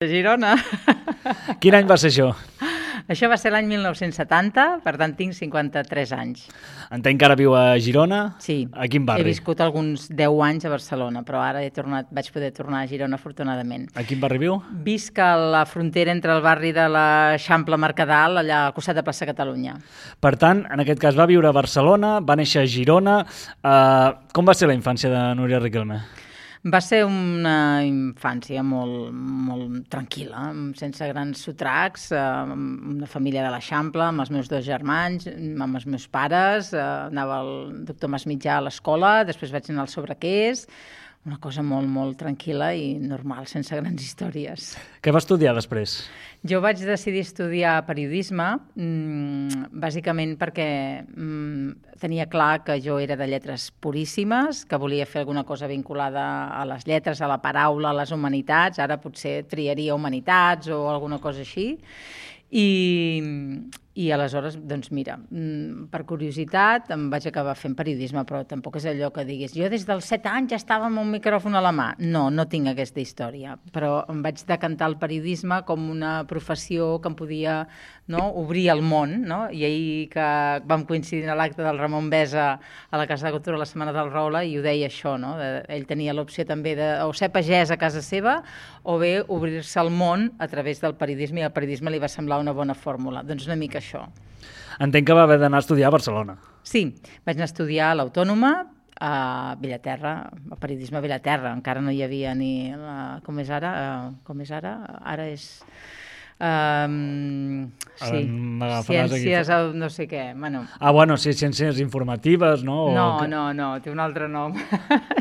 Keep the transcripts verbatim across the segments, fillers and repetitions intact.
de Girona. Quin any va ser això? Això va ser l'any mil nou-cents setanta, per tant tinc cinquanta-tres anys. Entenc que ara viu a Girona? Sí. A quin barri? He viscut alguns deu anys a Barcelona, però ara he tornat, vaig poder tornar a Girona, afortunadament. A quin barri viu? Visc a la frontera entre el barri de l'Eixample Mercadal, allà al costat de Plaça Catalunya. Per tant, en aquest cas va viure a Barcelona, va néixer a Girona. Uh, com va ser la infància de Núria Riquelme? Va ser una infància molt, molt tranquil·la, sense grans sotracs, amb una família de l'Eixample, amb els meus dos germans, amb els meus pares, anava al doctor Masmitjà a l'escola, després vaig anar al Sobrequés, una cosa molt, molt tranquil·la i normal, sense grans històries. Què va estudiar després? Jo vaig decidir estudiar periodisme, bàsicament perquè tenia clar que jo era de lletres puríssimes, que volia fer alguna cosa vinculada a les lletres, a la paraula, a les humanitats, ara potser triaria humanitats o alguna cosa així. I, i aleshores, doncs mira, per curiositat em vaig acabar fent periodisme, però tampoc és allò que diguis, jo des dels set anys ja estava amb un micròfon a la mà. No, no tinc aquesta història, però em vaig decantar el periodisme com una professió que em podia, no, obrir el món, no? I ahir que vam coincidir a l'acte del Ramon Besa a la Casa de Cultura la Setmana del Roure, i ho deia això, no? Ell tenia l'opció també de o ser pagès a casa seva o bé obrir-se al món a través del periodisme, i el periodisme li va semblar una bona fórmula. Doncs una mica això. Entenc que va haver d'anar a estudiar a Barcelona. Sí, vaig anar a estudiar a l'Autònoma, a Vilaterra, a periodisme a Vilaterra. Encara no hi havia ni... La, com és ara? Uh, com és ara? Ara és... Um, sí, ciències, aquí. No sé què. Bueno. Ah, bueno, sí, ciències informatives, no? O no, que... no, no, té un altre nom.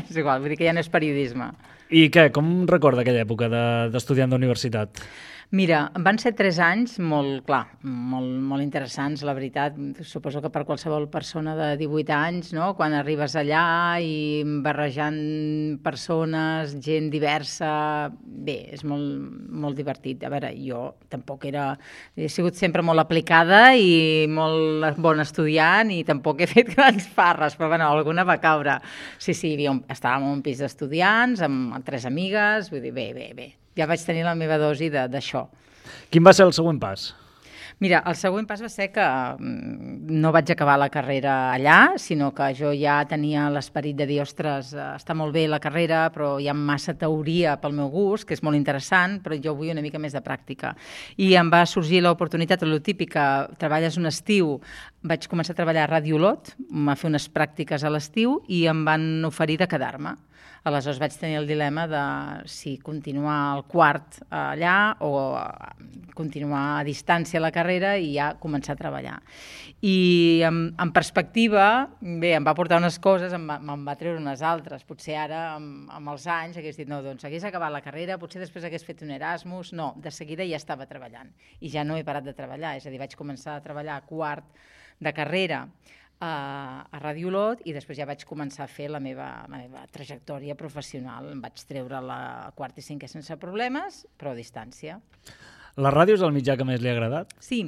És igual, vull dir que ja no és periodisme. I què, com recorda aquella època d'estudiant d'universitat? Mira, van ser tres anys molt, clar, molt, molt interessants, la veritat. Suposo que per qualsevol persona de divuit anys, no? Quan arribes allà i barrejant persones, gent diversa, bé, és molt, molt divertit. A veure, jo tampoc era... He sigut sempre molt aplicada i molt bon estudiant i tampoc he fet grans farres, però bueno, alguna va caure. Sí, sí, estàvem en un pis d'estudiants, amb tres amigues, vull dir, bé, bé, bé. Ja vaig tenir la meva dosi d'això. Quin va ser el següent pas? Mira, el següent pas va ser que no vaig acabar la carrera allà, sinó que jo ja tenia l'esperit de dir, ostres, està molt bé la carrera, però hi ha massa teoria pel meu gust, que és molt interessant, però jo vull una mica més de pràctica. I em va sorgir l'oportunitat, el típic, que treballes un estiu, vaig començar a treballar a Ràdio Olot, em va fer unes pràctiques a l'estiu i em van oferir de quedar-me. Aleshores vaig tenir el dilema de si continuar al quart allà o continuar a distància la carrera i ja començar a treballar. I en, en perspectiva, bé, em va portar unes coses, em va, me'n va treure unes altres. Potser ara, amb, amb els anys, hagués dit, no, doncs hagués acabat la carrera, potser després hagués fet un Erasmus. No, de seguida ja estava treballant. I ja no he parat de treballar, és a dir, vaig començar a treballar a quart de carrera a, a Ràdio Olot i després ja vaig començar a fer la meva, la meva trajectòria professional. Em vaig treure la quart i cinquè sense problemes, però a distància. La ràdio és el mitjà que més li ha agradat? Sí,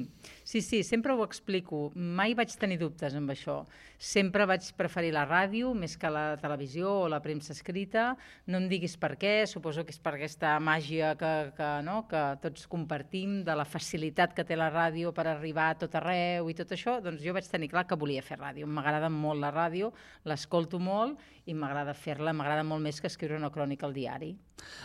sí, sí, sempre ho explico. Mai vaig tenir dubtes amb això. Sempre vaig preferir la ràdio més que la televisió o la premsa escrita. No em diguis per què, suposo que és per aquesta màgia que, que, no, que tots compartim, de la facilitat que té la ràdio per arribar a tot arreu i tot això. Doncs jo vaig tenir clar que volia fer ràdio. M'agrada molt la ràdio, l'escolto molt i m'agrada fer-la, m'agrada molt més que escriure una crònica al diari.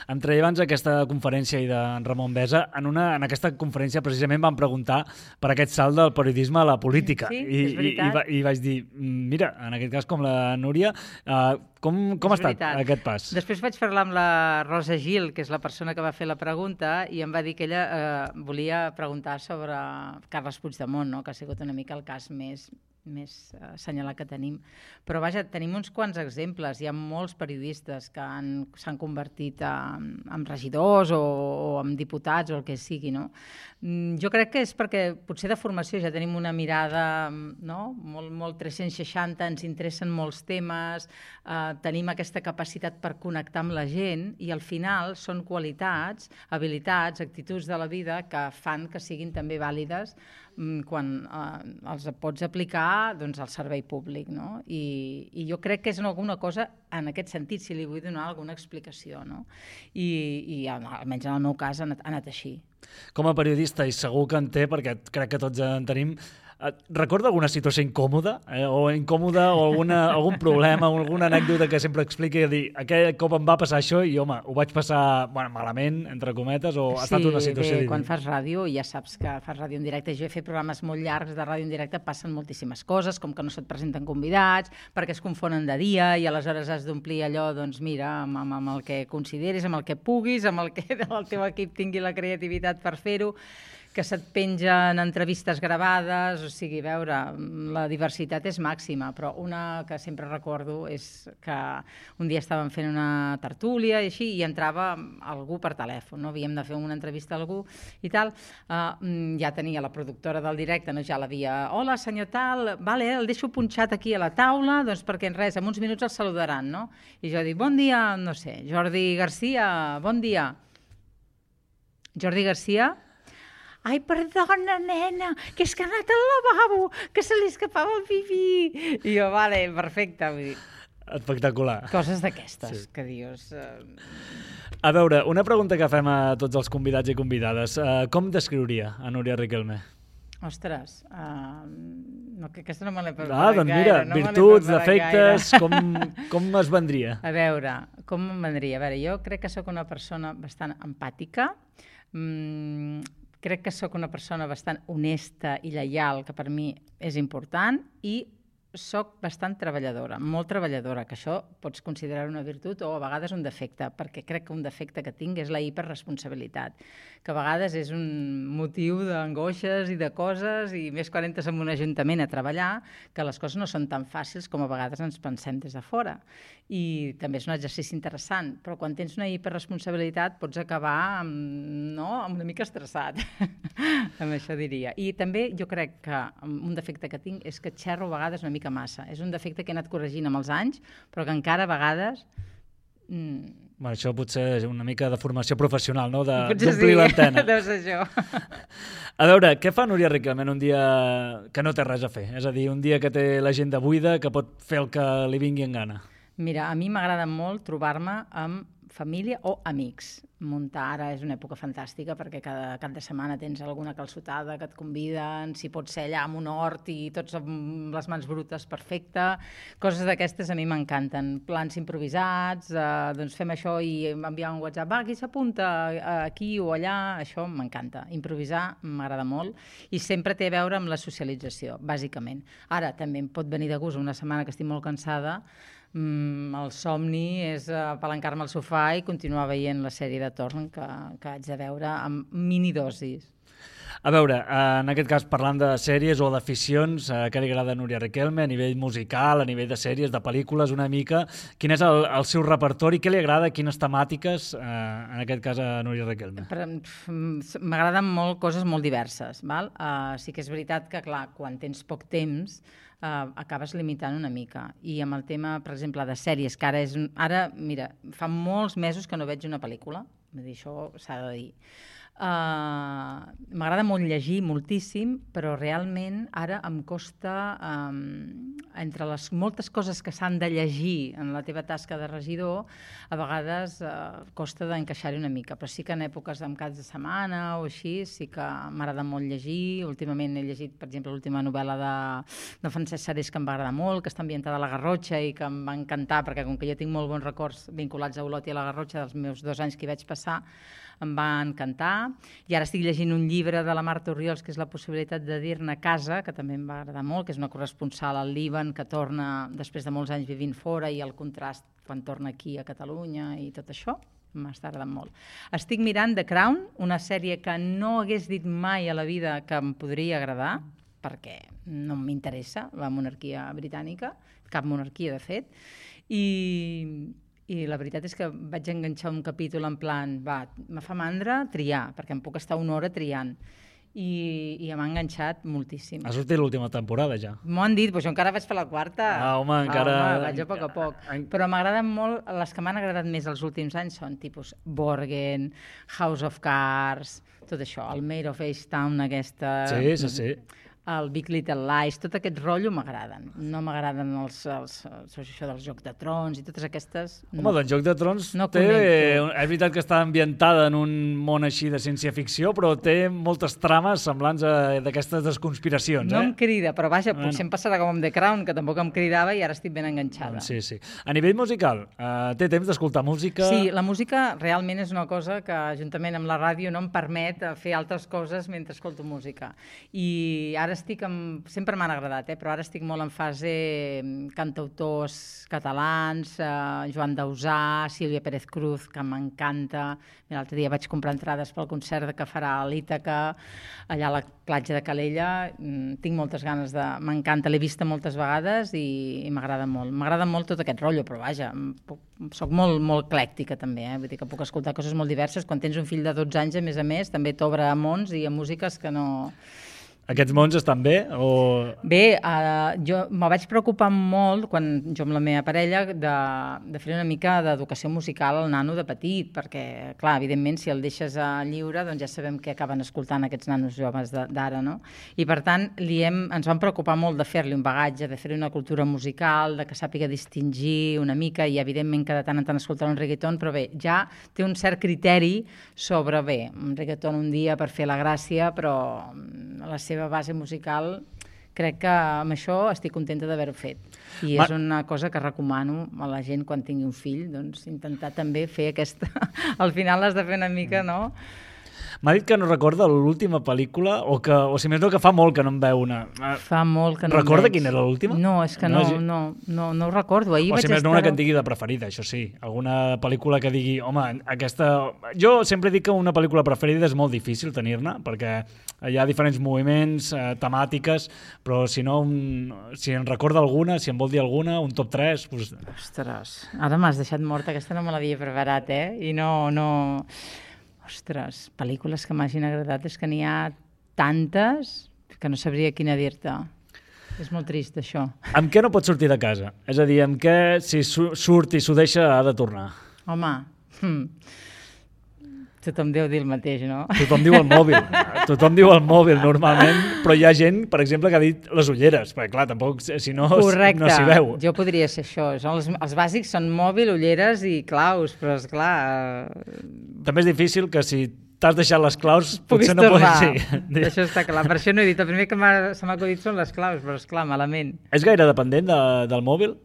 Em treia abans aquesta conferència i de Ramon Besa. En, una, en aquesta conferència precisament vam preguntar per aquest salt del periodisme a la política. Sí, I, és veritat. I, i, I vaig dir, mira, en aquest cas com la Núria, uh, com, com ha estat veritat. aquest pas? Després vaig parlar amb la Rosa Gil, que és la persona que va fer la pregunta, i em va dir que ella eh, volia preguntar sobre Carles Puigdemont, no? Que ha sigut una mica el cas més... més assenyalat que tenim. Però vaja, tenim uns quants exemples. Hi ha molts periodistes que s'han convertit en, en regidors o, o en diputats o el que sigui, no? Jo crec que és perquè potser de formació ja tenim una mirada, no? molt, molt tres-cents seixanta, ens interessen molts temes, eh, tenim aquesta capacitat per connectar amb la gent i al final són qualitats, habilitats, actituds de la vida que fan que siguin també vàlides quan eh, els pots aplicar va doncs, al servei públic, no? I, i jo crec que és alguna cosa en aquest sentit, si li vull donar alguna explicació, no? I, i almenys en el meu cas ha anat, ha anat així. Com a periodista, i segur que en té, perquè crec que tots en tenim, recorda alguna situació incòmoda? Eh? O incòmoda, o alguna, algun problema, o alguna anècdota que sempre expliqui i dir, aquell cop em va passar això i, home, ho vaig passar bueno, malament, entre cometes, o ha sí, estat una situació... Sí, bé, quan fas ràdio, ja saps que fas ràdio en directe. Jo he fet programes molt llargs de ràdio en directe, passen moltíssimes coses, com que no se't presenten convidats, perquè es confonen de dia i aleshores has d'omplir allò, doncs mira, amb, amb, amb el que consideris, amb el que puguis, amb el que el teu equip tingui la creativitat per fer-ho, que se't pengen entrevistes gravades, o sigui, veure, la diversitat és màxima, però una que sempre recordo és que un dia estàvem fent una tertúlia i així, i entrava algú per telèfon, no? Havíem de fer una entrevista a algú i tal, uh, ja tenia la productora del directe, no? Ja l'havia, hola senyor tal, vale, el deixo punxat aquí a la taula, doncs perquè en res, en uns minuts el saludaran, no? I jo dic, bon dia, no sé, Jordi Garcia, bon dia. Jordi Garcia... Ai, perdona, nena, que és que ha anat al lavabo, que se li escapava el pipí. I jo, vale, perfecte. Vull dir, espectacular. coses d'aquestes, sí. Que dius... Uh... A veure, una pregunta que fem a tots els convidats i convidades. Uh, com descriuria a Núria Riquelme? Ostres, uh, no, que aquesta no me l'he preparat ah, doncs mira, gaire. No virtuts, defectes, com, com es vendria? A veure, com em vendria? A veure, jo crec que sóc una persona bastant empàtica, mm, crec que sóc una persona bastant honesta i lleial, que per mi és important, i sóc bastant treballadora, molt treballadora, que això pots considerar una virtut o a vegades un defecte, perquè crec que un defecte que tinc és la hiperresponsabilitat, que a vegades és un motiu d'angoixes i de coses, i més quan entres en un ajuntament a treballar, que les coses no són tan fàcils com a vegades ens pensem des de fora. I també és un exercici interessant, però quan tens una hiperresponsabilitat pots acabar amb, no, amb una mica estressat, amb això diria. I també jo crec que un defecte que tinc és que xerro a vegades una mica massa. És un defecte que he anat corregint amb els anys, però que encara a vegades... Mm... Bueno, això potser és una mica de formació professional, no? D'omplir sí. l'antena. Deu ser això. A veure, què fa Núria Riquelme un dia que no té res a fer? És a dir, un dia que té l'agenda buida, que pot fer el que li vingui en gana. Mira, a mi m'agrada molt trobar-me amb família o amics. Muntar ara és una època fantàstica perquè cada cap de setmana tens alguna calçotada que et conviden, si pot ser allà amb un hort i tots amb les mans brutes, perfecte. Coses d'aquestes a mi m'encanten. Plans improvisats, eh, doncs fem això i enviar un WhatsApp, va, qui s'apunta aquí o allà, això m'encanta. Improvisar m'agrada molt i sempre té a veure amb la socialització, bàsicament. Ara també em pot venir de gust una setmana que estic molt cansada, Mm, el somni és apalancar-me al sofà i continuar veient la sèrie de torn que, que haig de veure amb minidosis. A veure, en aquest cas parlant de sèries o d'aficions, què li agrada a Núria Riquelme a nivell musical, a nivell de sèries, de pel·lícules, una mica, quin és el, el seu repertori, què li agrada, quines temàtiques, eh, en aquest cas a Núria Riquelme? M'agraden molt coses molt diverses, val? Uh, sí que és veritat que, clar, quan tens poc temps, Uh, acabes limitant una mica. I amb el tema, per exemple, de sèries, que ara és... Ara, mira, fa molts mesos que no veig una pel·lícula, vull dir, això s'ha de dir. Uh, M'agrada molt llegir, moltíssim, però realment ara em costa, um, entre les moltes coses que s'han de llegir en la teva tasca de regidor, a vegades uh, costa d'encaixar-hi una mica, però sí que en èpoques amb caps de setmana o així, sí que m'agrada molt llegir. Últimament he llegit, per exemple, l'última novel·la de, de Francesc Sarés, que em va agradar molt, que està ambientada a la Garrotxa i que em va encantar, perquè com que jo tinc molt bons records vinculats a Olot i a la Garrotxa dels meus dos anys que hi vaig passar, em va encantar. I ara estic llegint un llibre de la Marta Orriols, que és La possibilitat de dir-ne casa, que també em va agradar molt, que és una corresponsal al Líban que torna després de molts anys vivint fora i el contrast quan torna aquí a Catalunya i tot això. M'està agradant molt. Estic mirant The Crown, una sèrie que no hagués dit mai a la vida que em podria agradar, perquè no m'interessa la monarquia britànica, cap monarquia de fet, i... I la veritat és que vaig enganxar un capítol en plan, va, me fa mandra triar, perquè em puc estar una hora triant. I, i m'ha enganxat moltíssim. Ha sortit l'última temporada ja. M'ho han dit, però jo encara vaig per la quarta. Ah, home, encara... Ah, home, vaig a poc a poc. Però m'agraden molt, les que m'han agradat més els últims anys són tipus Borgen, House of Cards, tot això, el Mayor of Easttown, aquesta... Sí, sí, sí. el Big Little Lies, tot aquest rotllo m'agraden. No m'agraden els, els, els, això dels Jocs de Trons i totes aquestes... Home, no. doncs Joc de Trons no té... connecto. És veritat que està ambientada en un món així de ciència-ficció, però té moltes trames semblants a d'aquestes conspiracions, No eh? em crida, però vaja, Bueno. potser em passarà com amb The Crown, que tampoc em cridava i ara estic ben enganxada. Sí, sí. A nivell musical, eh, té temps d'escoltar música? Sí, la música realment és una cosa que, juntament amb la ràdio, no em permet fer altres coses mentre escolto música. I ara estic amb... Sempre m'han agradat, eh? Però ara estic molt en fase cantautors catalans, eh, Joan Dausà, Sílvia Pérez Cruz, que m'encanta. L'altre dia vaig comprar entrades pel concert que farà a l'Ítaca, allà a la platja de Calella. Tinc moltes ganes de... M'encanta, l'he vista moltes vegades i, i m'agrada molt. M'agrada molt tot aquest rotllo, però vaja, puc, soc molt, molt eclèctica també, eh? Vull dir que puc escoltar coses molt diverses. Quan tens un fill de dotze anys, a més a més, també t'obre a mons i a músiques que no... Aquests mons estan bé? O... Bé, uh, jo me vaig preocupar molt, quan jo amb la meva parella, de, de fer una mica d'educació musical al nano de petit, perquè, clar, evidentment, si el deixes a lliure, doncs ja sabem què acaben escoltant aquests nanos joves d'ara, no? I, per tant, li hem, ens vam preocupar molt de fer-li un bagatge, de fer-li una cultura musical, de que sàpiga distingir una mica, i, evidentment, que de tant en tant escoltarà un reggaeton, però bé, ja té un cert criteri sobre, bé, un reggaeton un dia per fer la gràcia, però la seva base musical, crec que amb això estic contenta d'haver-ho fet. I és una cosa que recomano a la gent quan tingui un fill, doncs intentar també fer aquesta... Al final has de fer una mica, no? M'ha dit que no recorda l'última pel·lícula, o que, o si més no, que fa molt que no en veu una. Fa molt que no Recorda veig. quina era l'última? No, és que no, no, no, no, no ho recordo. Ahir o vaig si més no, estar... una que et digui de preferida, això sí. Alguna pel·lícula que digui, home, aquesta... Jo sempre dic que una pel·lícula preferida és molt difícil tenir-ne, perquè hi ha diferents moviments, eh, temàtiques, però si no, un... si en recorda alguna, si en vol dir alguna, un top tres... Doncs... Ostres, ara m'has deixat morta, aquesta no me l'havia preparat, eh? I no, no... Ostres, pel·lícules que m'hagin agradat, és que n'hi ha tantes que no sabria quina dir-te. És molt trist, això. Amb què no pot sortir de casa? És a dir, amb què, si su surt i s'ho deixa, ha de tornar? Home, hm. Tothom deu dir el mateix, no? Tothom diu el mòbil. Tothom diu el mòbil, normalment, però hi ha gent, per exemple, que ha dit les ulleres, perquè, clar, tampoc, si no, Correcte. no s'hi veu. Jo podria ser això. Són els, els bàsics són mòbil, ulleres i claus, però, esclar... També és difícil que si t'has deixat les claus, puguis potser no tornar. pots... Sí. Això està clar. Per això no he dit. El primer que se m'ha acudit són les claus, però, esclar, malament. És gaire dependent de, del mòbil?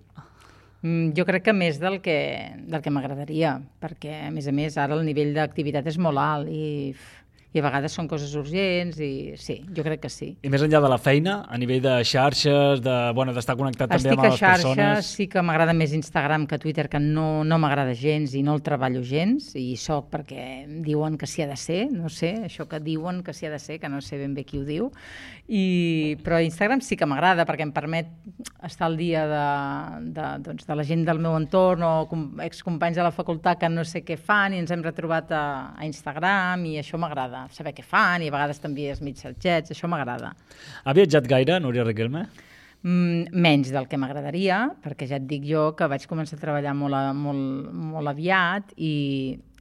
Mm, jo crec que més del que, del que m'agradaria, perquè, a més a més, ara el nivell d'activitat és molt alt i, i a vegades són coses urgents i sí, jo crec que sí. I més enllà de la feina, a nivell de xarxes, de, bueno, d'estar connectat també Estic amb a les xarxes, persones... sí que m'agrada més Instagram que Twitter, que no, no m'agrada gens i no el treballo gens, i soc perquè diuen que s'hi ha de ser, no sé, això que diuen que s'hi ha de ser, que no sé ben bé qui ho diu, i, però Instagram sí que m'agrada perquè em permet estar al dia de, de, doncs, de la gent del meu entorn o com, excompanys de la facultat que no sé què fan i ens hem retrobat a, a Instagram i això m'agrada, saber què fan i a vegades t'envies missatgets, això m'agrada. Ha viatjat gaire, Núria Riquelme? Mm, menys del que m'agradaria, perquè ja et dic jo que vaig començar a treballar molt, a, molt, molt aviat i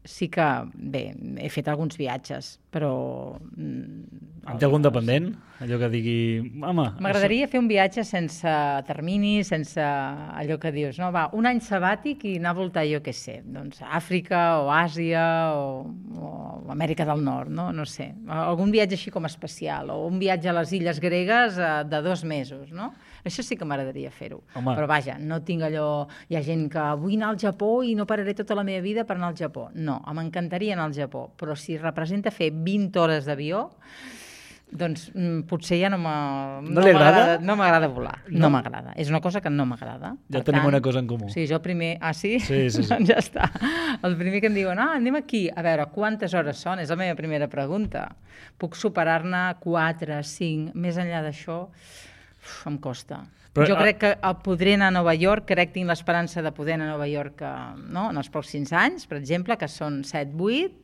sí que, bé, he fet alguns viatges, però... Mm, en té algun dependent? Allò que digui... M'agradaria això... fer un viatge sense termini, sense allò que dius, no? Va, un any sabàtic i anar a voltar, jo què sé, doncs Àfrica o Àsia o, o Amèrica del Nord, no? No sé. Algun viatge així com especial, o un viatge a les illes gregues de dos mesos, no? Això sí que m'agradaria fer-ho. Però vaja, no tinc allò... Hi ha gent que vull anar al Japó i no pararé tota la meva vida per anar al Japó. No, m'encantaria anar al Japó, però si representa fer vint hores d'avió, doncs mm, potser ja no m'agrada no li agrada? No m'agrada volar, no, no m'agrada. És una cosa que no m'agrada. Ja tenim tant, una cosa en comú. Sí, jo primer... Ah, sí? Sí, sí, sí. Doncs ja està. El primer que em diuen, ah, anem aquí, a veure, quantes hores són? És la meva primera pregunta. Puc superar-ne quatre, cinc, més enllà d'això, em costa. Però, jo crec que podré anar a Nova York, crec que tinc l'esperança de poder anar a Nova York no? En els pròxims anys, per exemple, que són set vuit,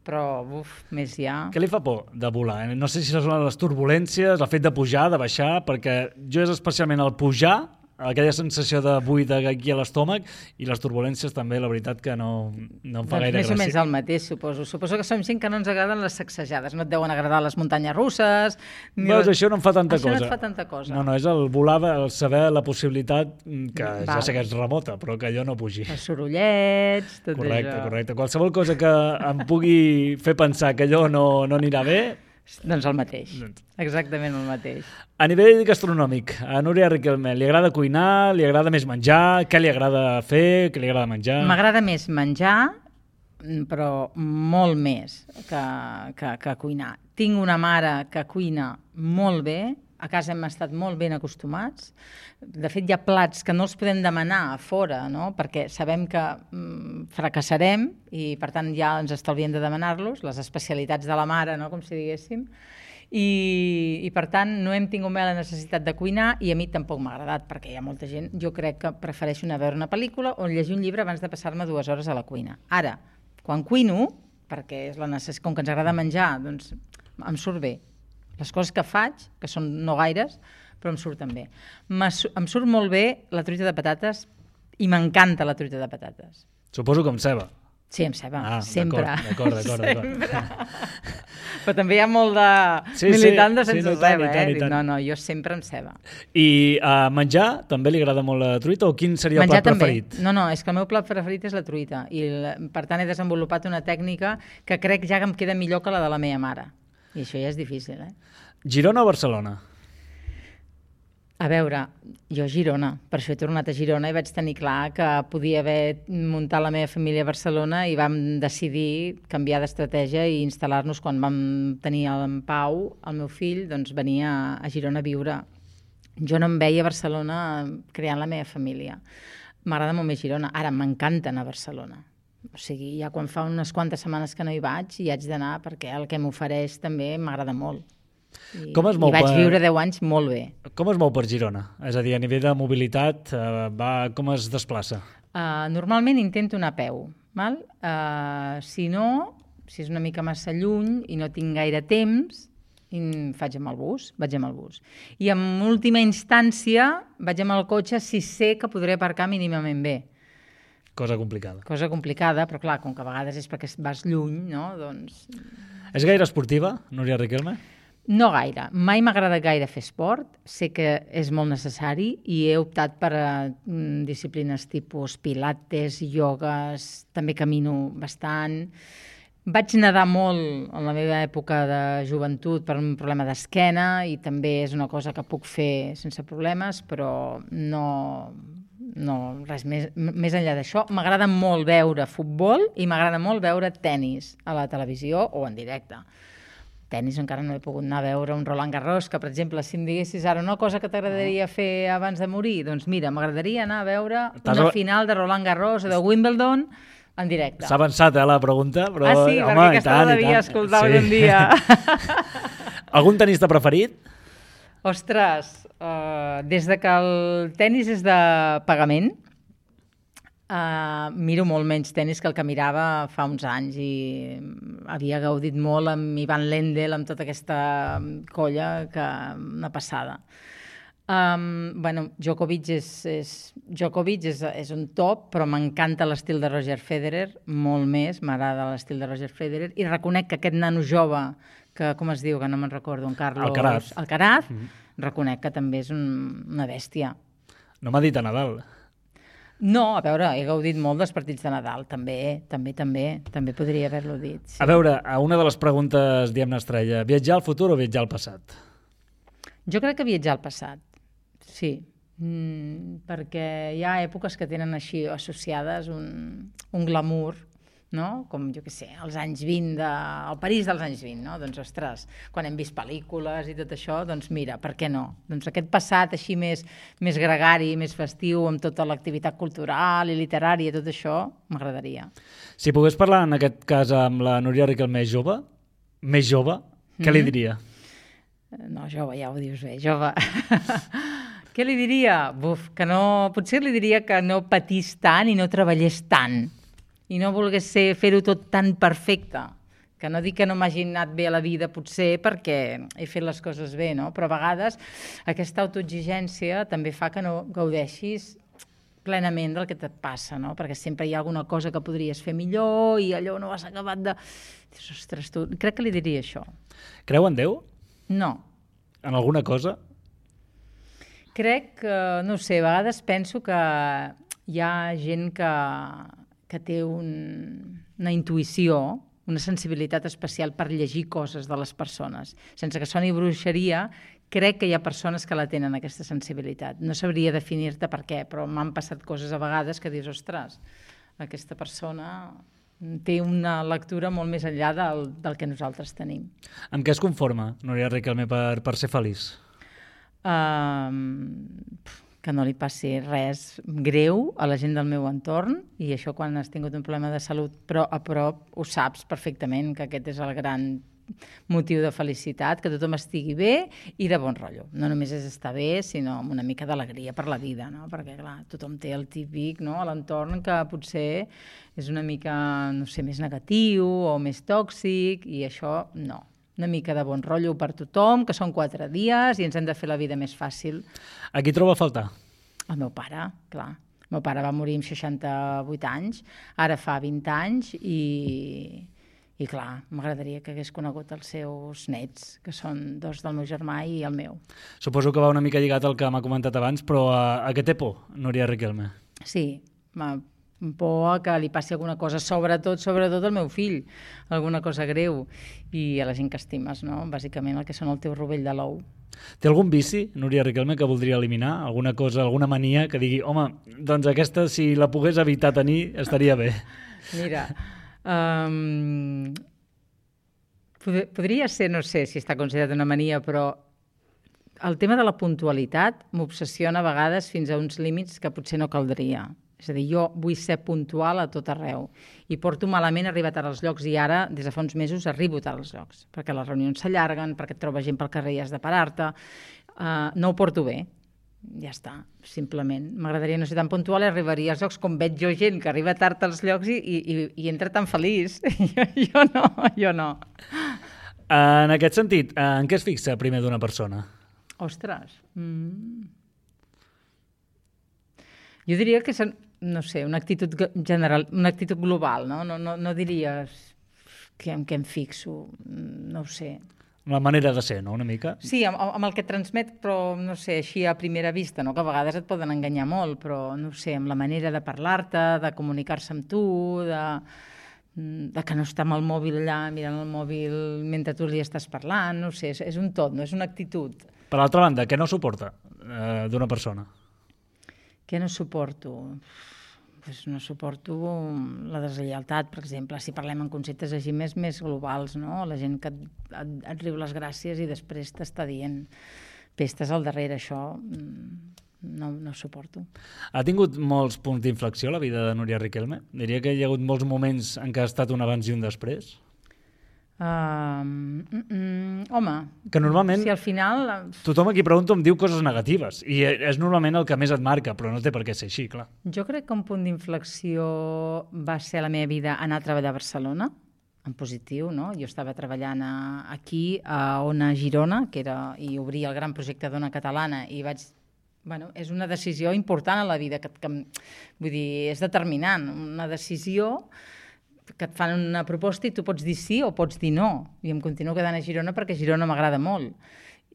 però, uf, més ja... Què li fa por de volar? No sé si són les turbulències, el fet de pujar, de baixar, perquè jo és especialment el pujar aquella sensació de buit aquí a l'estómac i les turbulències també, la veritat que no, no em fa doncs gaire més gràcia. o menys el mateix, suposo. Suposo que som gent que no ens agraden les sacsejades, no et deuen agradar les muntanyes russes... Ni Veus, les... això no em fa tanta això cosa. Això no et fa tanta cosa. No, no, és el volar, el saber la possibilitat que Val. ja sé que és remota, però que jo no pugi. Els sorollets, tot correcte, això. Correcte, Qualsevol cosa que em pugui fer pensar que allò no, no anirà bé... Doncs el mateix, exactament el mateix. A nivell gastronòmic, a Núria Riquelme, li agrada cuinar, li agrada més menjar, què li agrada fer, què li agrada menjar? M'agrada més menjar, però molt més que, que, que cuinar. Tinc una mare que cuina molt bé, a casa hem estat molt ben acostumats. De fet, hi ha plats que no els podem demanar a fora, no? Perquè sabem que mm, fracassarem i, per tant, ja ens estalviem de demanar-los, les especialitats de la mare, no? Com si diguéssim. I, i, per tant, no hem tingut mai la necessitat de cuinar i a mi tampoc m'ha agradat, perquè hi ha molta gent... Jo crec que prefereixo anar a veure una pel·lícula o llegir un llibre abans de passar-me dues hores a la cuina. Ara, quan cuino, perquè és la necess... com que ens agrada menjar, doncs em surt bé. Les coses que faig, que són no gaires, però em surten bé. Em surt molt bé la truita de patates i m'encanta la truita de patates. Suposo que amb ceba. Sí, amb ceba, ah, sempre. D'acord, d'acord, d'acord. Però també hi ha molt de sí, militant de sí, sense sí, ceba, tant, eh? tant. No, no, jo sempre amb ceba. I uh, menjar, també li agrada molt la truita o quin seria menjar el plat també. preferit? No, no, és que el meu plat preferit és la truita i per tant he desenvolupat una tècnica que crec ja que em queda millor que la de la meva mare. I això ja és difícil, eh? Girona o Barcelona? A veure, jo a Girona, per això he tornat a Girona i vaig tenir clar que podia haver muntat la meva família a Barcelona i vam decidir canviar d'estratègia i instal·lar-nos quan vam tenir en Pau, el meu fill, doncs venia a Girona a viure. Jo no em veia a Barcelona creant la meva família. M'agrada molt més Girona. Ara m'encanta anar a Barcelona. O sigui, ja quan fa unes quantes setmanes que no hi vaig i haig d'anar perquè el que m'ofereix també m'agrada molt. I, com es mou i vaig per... viure deu anys molt bé. Com es mou per Girona? És a dir, a nivell de mobilitat, eh, va... com es desplaça? Uh, normalment intento anar a peu. Val? Uh, si no, si és una mica massa lluny i no tinc gaire temps, faig amb el bus, vaig amb el bus. I en última instància vaig amb el cotxe si sé que podré aparcar mínimament bé. Cosa complicada. Cosa complicada, però clar, com que a vegades és perquè vas lluny, no? Doncs... És gaire esportiva, Núria Riquelme? No gaire. Mai m'ha agradat gaire fer esport. Sé que és molt necessari i he optat per a mm, disciplines tipus pilates, iogues, també camino bastant. Vaig nedar molt en la meva època de joventut per un problema d'esquena i també és una cosa que puc fer sense problemes, però no... No, res més, més enllà d'això. M'agrada molt veure futbol i m'agrada molt veure tennis a la televisió o en directe. Tennis encara no he pogut anar a veure un Roland Garros, que, per exemple, si em diguessis ara una cosa que t'agradaria fer abans de morir, doncs mira, m'agradaria anar a veure una final de Roland Garros o de Wimbledon en directe. S'ha avançat, eh, la pregunta, però... Ah, sí? Home, perquè aquesta la devia escoltar sí. un dia. Algun tenista preferit? Ostres, uh, des de que el tennis és de pagament, uh, miro molt menys tennis que el que mirava fa uns anys i havia gaudit molt amb Ivan Lendl, amb tota aquesta colla, que una passada. Um, bueno, Djokovic és, és, Djokovic és, és un top, però m'encanta l'estil de Roger Federer, molt més, m'agrada l'estil de Roger Federer, i reconec que aquest nano jove que, com es diu, que no me'n recordo, en Carlos... Alcaraz. Alcaraz, mm -hmm. reconec que també és un, una bèstia. No m'ha dit a Nadal. No, a veure, he gaudit molt dels partits de Nadal, també, també, també, també podria haver-lo dit. Sí. A veure, a una de les preguntes, diguem-ne, estrella, viatjar al futur o viatjar al passat? Jo crec que viatjar al passat, sí, mm, perquè hi ha èpoques que tenen així associades un, un glamour, no? Com, jo què sé, els anys vint, de... el París dels anys vint, no? Doncs, ostres, quan hem vist pel·lícules i tot això, doncs mira, per què no? Doncs aquest passat així més, més gregari, més festiu, amb tota l'activitat cultural i literària, tot això, m'agradaria. Si pogués parlar, en aquest cas, amb la Núria Riquelme jove, més jove, què mm-hmm. li diria? No, jove, ja ho dius bé, jove. Què li diria? Buf, que no... Potser li diria que no patís tant i no treballés tant. I no volgués fer-ho tot tan perfecte, Que no dic que no m'hagi anat bé a la vida, potser perquè he fet les coses bé, no? Però a vegades aquesta autoexigència també fa que no gaudeixis plenament del que et passa, no? Perquè sempre hi ha alguna cosa que podries fer millor i allò no has acabat de... Dius, ostres, tu... Crec que li diria això. Creu en Déu? No. En alguna cosa? Crec que, no sé, a vegades penso que hi ha gent que, que té un, una intuïció, una sensibilitat especial per llegir coses de les persones. Sense que soni bruixeria, crec que hi ha persones que la tenen, aquesta sensibilitat. No sabria definir-te per què, però m'han passat coses a vegades que dius, ostres, aquesta persona té una lectura molt més enllà del, del que nosaltres tenim. Amb què es conforma, Núria Riquelme, per, per ser feliç? Um, que no li passi res greu a la gent del meu entorn, i això quan has tingut un problema de salut però a prop ho saps perfectament, que aquest és el gran motiu de felicitat, que tothom estigui bé i de bon rotllo. No només és estar bé, sinó amb una mica d'alegria per la vida, no? Perquè clar, tothom té el típic, no?, a l'entorn que potser és una mica, no sé, més negatiu o més tòxic, i això no. Una mica de bon rotllo per tothom, que són quatre dies i ens hem de fer la vida més fàcil. A qui troba a faltar? El meu pare, clar. El meu pare va morir amb seixanta-vuit anys, ara fa vint anys, i, i clar, m'agradaria que hagués conegut els seus nets, que són dos del meu germà i el meu. Suposo que va una mica lligat al que m'ha comentat abans, però a, a què té por, Núria Riquelme? Sí, m'ha por que li passi alguna cosa, sobretot, sobretot al meu fill, alguna cosa greu, i a la gent que estimes, no? Bàsicament el que són el teu rovell de l'ou. Té algun vici, Núria Riquelme, que voldria eliminar? Alguna cosa, alguna mania que digui, home, doncs aquesta, si la pogués evitar tenir, estaria bé? Mira, um, pod podria ser, no sé si està considerat una mania, però el tema de la puntualitat m'obsessiona a vegades fins a uns límits que potser no caldria. És a dir, jo vull ser puntual a tot arreu i porto malament arribar tard als llocs, i ara, des de fa uns mesos, arribo tard als llocs, perquè les reunions s'allarguen, perquè et trobes gent pel carrer i has de parar-te. Uh, no ho porto bé, ja està, simplement. M'agradaria no ser tan puntual i arribaria als llocs com veig jo gent que arriba tard als llocs i, i, i entra tan feliç. jo, jo no, jo no. En aquest sentit, en què es fixa primer d'una persona? Ostres... Mm. Jo diria que és, no sé, una actitud general, una actitud global, no? No, no, no diries que, en què em fixo, no ho sé. La manera de ser, no?, una mica? Sí, amb, amb el que transmet, però, no sé, així a primera vista, no?, que a vegades et poden enganyar molt, però, no sé, amb la manera de parlar-te, de comunicar-se amb tu, de, de que no està amb el mòbil allà, mirant el mòbil mentre tu li estàs parlant, no sé, és, és un tot, no és una actitud. Per l'altra banda, què no suporta eh, d'una persona? Què no suporto? Pues no suporto la deslleialtat, per exemple, si parlem en conceptes així més, més globals, no? La gent que et, et, et riu les gràcies i després t'està dient pestes al darrere, això no, no suporto. Ha tingut molts punts d'inflexió la vida de Núria Riquelme? Diria que hi ha hagut molts moments en què ha estat un abans i un després? Uh, mm, mm, home, que normalment si al final... tothom a qui pregunto em diu coses negatives i és normalment el que més et marca, però no té per què ser així, clar. Jo crec que un punt d'inflexió va ser a la meva vida anar a treballar a Barcelona, en positiu, no? Jo estava treballant a, aquí, a Ona Girona, que era, i obria el gran projecte d'Ona Catalana, i vaig... Bueno, és una decisió important a la vida, que, que, vull dir, és determinant, una decisió que et fan una proposta i tu pots dir sí o pots dir no. I em continuo quedant a Girona perquè Girona m'agrada molt.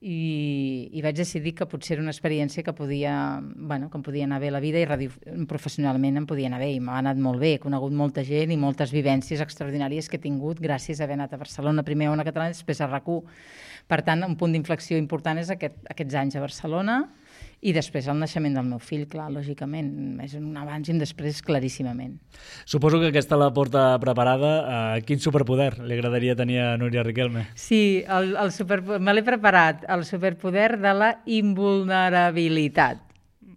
I, i vaig decidir que potser era una experiència que podia, bueno, que em podia anar bé la vida, i radio, professionalment em podia anar bé, i m'ha anat molt bé. He conegut molta gent i moltes vivències extraordinàries que he tingut gràcies a haver anat a Barcelona, primer a Ona Catalana i després a RAC u. Per tant, un punt d'inflexió important és aquest, aquests anys a Barcelona, i després el naixement del meu fill, clar, lògicament. És un abans i un després claríssimament. Suposo que aquesta la porta preparada. Uh, quin superpoder li agradaria tenir a Núria Riquelme? Sí, el, el super, me l'he preparat, el superpoder de la invulnerabilitat.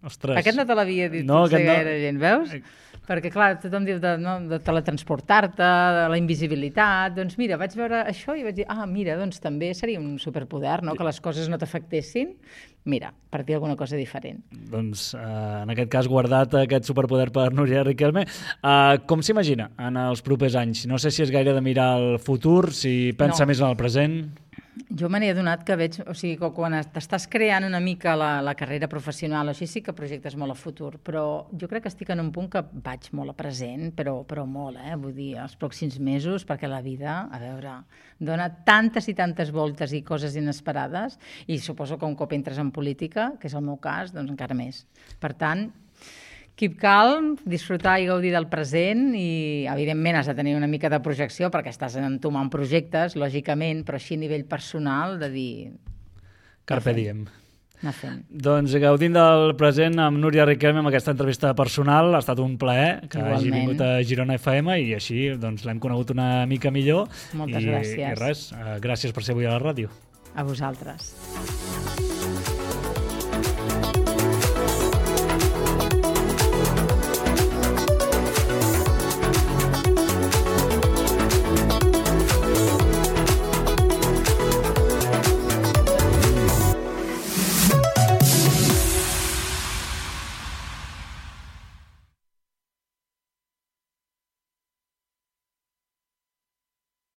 Ostres. Aquest no te l'havia dit no, potser no. gaire gent, veus? Perquè, clar, tothom diu de, no, de teletransportar-te, de la invisibilitat. Doncs mira, vaig veure això i vaig dir, ah, mira, doncs també seria un superpoder, no?, que les coses no t'afectessin. Mira, per dir alguna cosa diferent. Doncs, eh, en aquest cas, guardat aquest superpoder per Núria Riquelme. Eh, com s'imagina en els propers anys? No sé si és gaire de mirar al futur, si pensa No. més en el present. Jo me n'he adonat que veig, o sigui, que quan t'estàs creant una mica la, la carrera professional, així sí que projectes molt a futur, però jo crec que estic en un punt que vaig molt a present, però, però molt, eh? Vull dir, els pròxims mesos, perquè la vida, a veure, dona tantes i tantes voltes i coses inesperades, i suposo que un cop entres en política, que és el meu cas, doncs encara més. Per tant, keep calm, disfrutar i gaudir del present i, evidentment, has de tenir una mica de projecció perquè estàs entomant projectes, lògicament, però així a nivell personal, de dir... Carpe diem. Anar fent. Doncs gaudint del present amb Núria Riquelme amb aquesta entrevista personal, ha estat un plaer que Igualment. hagi vingut a Girona F M i així doncs, l'hem conegut una mica millor. Moltes I, gràcies. I res, eh, gràcies per ser avui a la ràdio. A vosaltres.